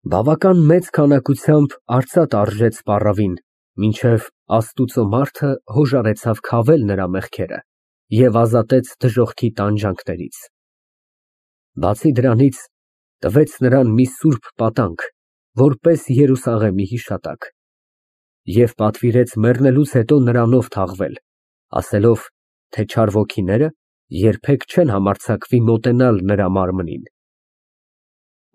Բավական մեծ քանակությամբ արծաթ արժեց պառավին, մինչև Աստուծո մարդը հոժարեցավ քավել նրա մեղքերը և ազատեց դժոխքի տանջանքներից։ Բացի դրանից, տվեց նրան մի սուրբ պատանք, որպես Երուսաղեմի հիշատակ, և պատվիրեց մեռնելուց հետո նրանով թաղվել, ասելով, թե չար ոգիները երբեք չեն համարձակվի մոտենալ նրա մարմնին։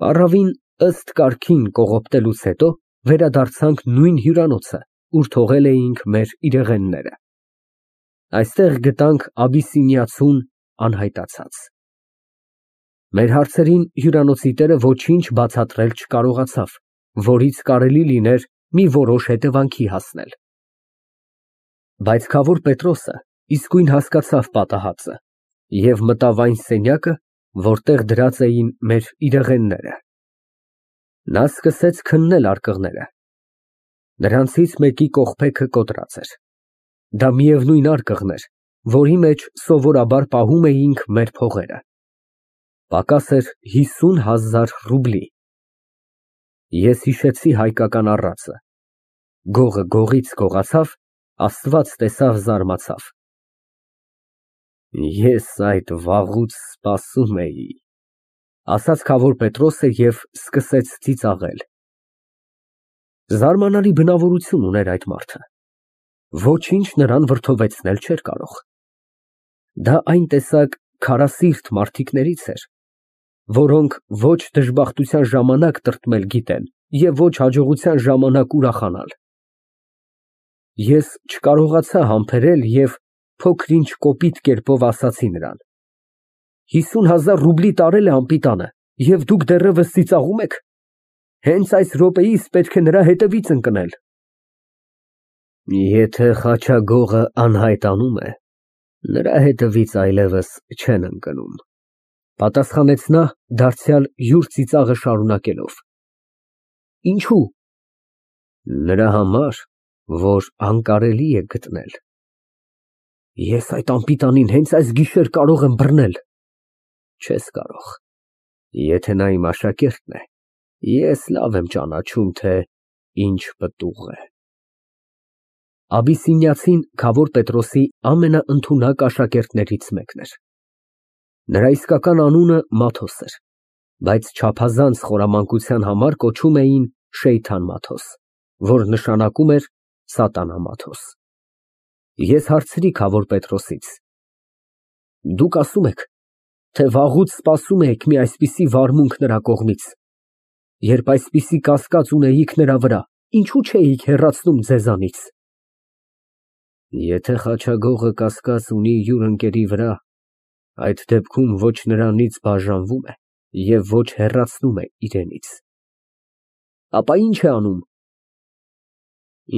Պառավին ըստ կարգին կողոպտելուց հետո վերադարձանք նույն հյուրանոցը, ուր թողել էինք մեր իրեղենները։ Այստեղ գտանք աբիսինիացուն անհայտացած։ Մեր հարցերին հյուրանոցի տերը ոչինչ բացատրել չկարողացավ, որից կարելի լիներ մի որոշ հետևանքի հասնել։ Բայց քավոր Պետրոսը իսկույն հասկացավ պատահածը և մտավ այն սենյակը, որտեղ դրած էին մեր իրեղենները։ Նա սկսեց քննել արկղները։ Նրանցից մեկի կողպեքը կոտրած էր։ Դա միևնույն արկղն էր, որի մեջ սովորաբար պահում էինք մեր փողերը։ Պակաս էր 50,000 ռուբլի։ Ես հիշեցի հայկական առածը։ Գողը գողից գողացավ, Աստված տեսավ, զարմացավ։ Ես այդ վաղուց սպասում էի, ասաց քավոր Պետրոսը և սկսեց ծիծաղել։ Զարմանալի բնավորություն ուներ այդ մարդը։ Ոչինչ նրան վրդովեցնել չէր կարող։ Դա այն տեսակ քարասիրտ մարդիկներից էր, որոնք ոչ դժբախտության ժամանակ տրտմել գիտեն և ոչ հաջողության ժամանակ ուրախանալ։ Ես չկարողացա համբերել և փոքր-ինչ կոպիտ կերպով ասացի նրան. 50,000 ռուբլի տարել է անպիտանը, և դուք դեռևս ծիծաղում եք։ Հենց այս րոպեիս պետք է նրա հետևից ընկնել։ Եթե խաչագողը անհայտանում է, նրա հետևից այլևս չեն ընկնում, պատասխանեց նա, դարձյալ յուր ծիծաղը շարունակելով։ Ինչո՞ւ։ Նրա համար, որ անկարելի է գտնել։ Ես այդ անպիտանին հենց այս գիշեր կարող եմ բռնել։ Չես կարող։ Եթե նա իմ աշակերտն է, ես լավ եմ ճանաչում, թե ինչ պտուղ է։ Աբիսինիացին քավոր Պետրոսի ամենաընդունակ աշակերտներից մեկն էր։ Նրա իսկական անունը Մաթոս էր, բայց չափազանց խորամանկության համար կոչում էին Շեյթան Մաթոս, որ նշանակում էր սատանա Մաթոս։ Ես հարցրի քավոր Պետրոսից. Դուք ասում եք, թե վաղուց սպասում եք մի այսպիսի վարմունք նրա կողմից։ Երբ այսպիսի կասկած ունեիք նրա վրա, ինչու չէիք հեռացնում ձեզանից։ Եթե խաչագողը կասկած ունի յուր ընկերի վրա, այդ դեպքում ոչ նրանից բաժանվում է և ոչ հեռացնում է իրենից։ Ապա ի՞նչ է անում։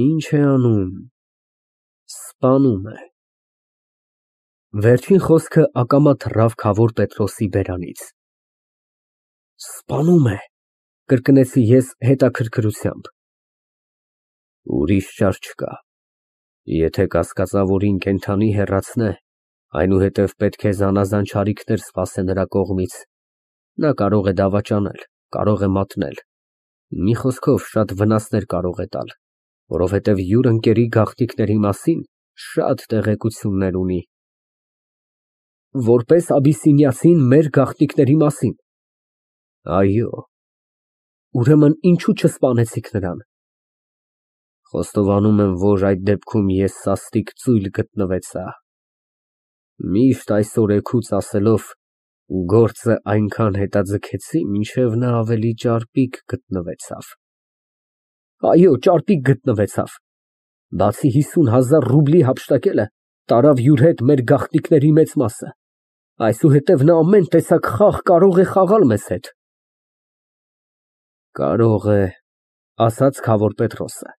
Ինչ է անում։ Սպանում է։ Վերջին խոսքը ակամա թռավ քավոր Պետրոսի բերանից։ Սպանում է, կրկնեցի ես հետաքրքրությամբ։ Ուրիշ ճար չկա։ Եթե կասկածավորին կենդանի հեռացնե, այնուհետև պետք է զանազան չարիքներ սպասե նրա կողմից։ Նա կարող է դավաճանել, կարող է մատնել, մի խոսքով շատ վնասներ կարող է տալ, որովհետև յուր ընկերի գաղտնիքների մասին շատ տեղեկություններ ունի։ Որպես աբիսինիացին մեր գաղտնիքների մասին։ Այո։ Ուրեմն ինչու չսպանեցիք նրան։ Խոստովանում եմ, որ այդ դեպքում ես սաստիկ ծույլ գտնվեցա։ Միշտ այսօրեքուց ասելով, գործը այնքան հետաձգեցի, մինչև նա ավելի ճարպիկ գտնվեցավ։ Այո, ճարպիկ գտնվեցավ։ Բացի 50,000 ռուբլի հափշտակելը, տարավ յուր հետ մեր գաղտնիքների մեծ մասը։ Այսուհետև նա ամեն տեսակ խաղ կարող է խաղալ մեզ հետ։ Կարող է, ասաց քավոր Պետրոսը,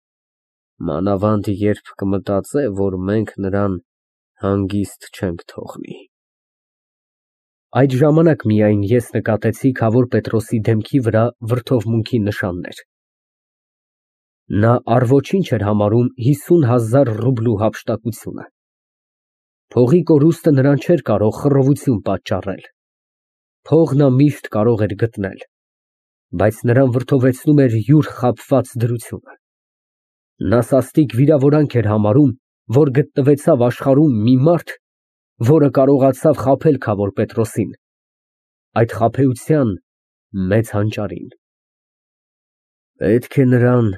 մանավանդ երբ կմտածե, որ մենք նրան հանգիստ չենք թողնի։ Այդ ժամանակ միայն ես նկատեցի քավոր Պետրոսի դեմքի վրա վրդովմունքի նշաններ։ Նա առ ոչինչ էր համարում 50,000 ռուբլու հափշտակությունը։ Փողի կորուստը նրան չէր կարող խռովություն պատճառել։ Փող նա միշտ կարող էր գտնել։ բայց նրան վրդովեցնում էր յուր խաբված դրությունը։ Նա սաստիկ վիրավորանք էր համարում, որ գտնվեցավ աշխարհում մի մարդ, որը կարողացավ խաբել Քավոր Պետրոսին, այդ խաբեության մեծ հանճարին։ Պետք է նրան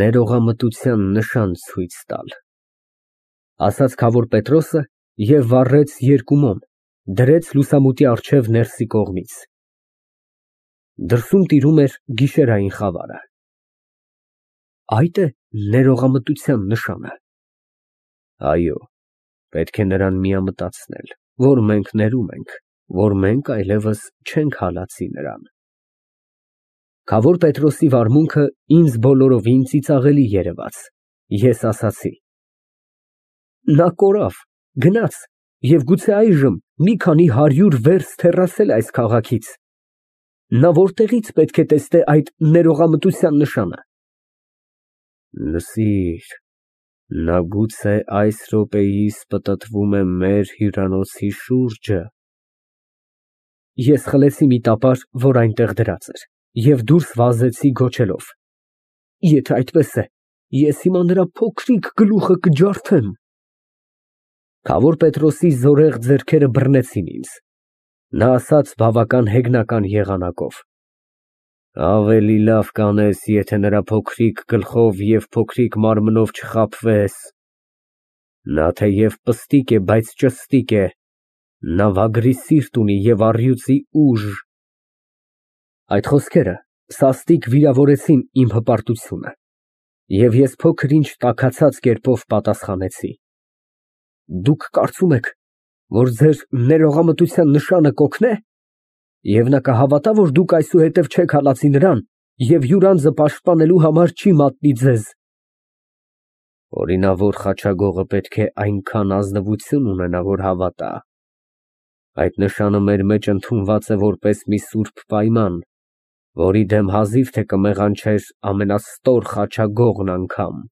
ներողամտության նշան ցույց տալ, ասաց Քավոր Պետրոսը և վառեց երկու մոմ, դրեց լուսամուտի առջև ներսի կողմից։ Դրսում տիրում էր գիշերային խավարը։ Այդ է ներողամտության նշանը։ Այո, պետք է նրան միամտացնել, որ մենք ներում ենք, որ մենք այլևս չենք հալածի նրան։ Քավոր Պետրոսի վարմունքը ինձ բոլորովին ծիծաղելի երևաց։ Ես ասացի. նա կորավ, գնաց և գուցե այժմ մի քանի 100 վերստ հեռացել է այս քաղաքից։ Նա որտեղից պետք է տեսնե այդ ներողամտության նշանը։ Լսիր, նա գուցե այս րոպեիս պտտվում է մեր հյուրանոցի շուրջը։ Ես խլեցի մի տապար, որ այնտեղ դրած էր, և դուրս վազեցի գոչելով. եթե այդպես է, ես հիմա նրա փոքրիկ գլուխը կջարդեմ։ Քավոր Պետրոսի զորեղ ձեռքերը բռնեցին ինձ։ Նա ասաց բավական հեգնական եղանակով. ավելի լավ կանես, եթե նրա փոքրիկ գլխով և փոքրիկ մարմնով չխաբվես։ Նա թեև պստիկ է, բայց ճստիկ է, նա վագրի սիրտ ունի և առյուծի ուժ։ Այդ խոսքերը սաստիկ վիրավորեցին իմ հպարտությունը, և ես փոքր-ինչ տաքացած կերպով պատասխանեցի. Դուք կարծում եք, որ ձեր ներողամտության նշանը կօգնե, և նա կհավատա, որ դուք այսուհետև չեք հալածի նրան և յուր անձը պաշտպանելու համար չի մատնի ձեզ։ Օրինավոր խաչագողը պետք է այնքան ազնվություն ունենա, որ հավատա։ Այդ նշանը մեր մեջ ընդունված է որպես մի սուրբ պայման, որի դեմ հազիվ թե կմեղանչեր ամենաստոր խաչագողն անգամ։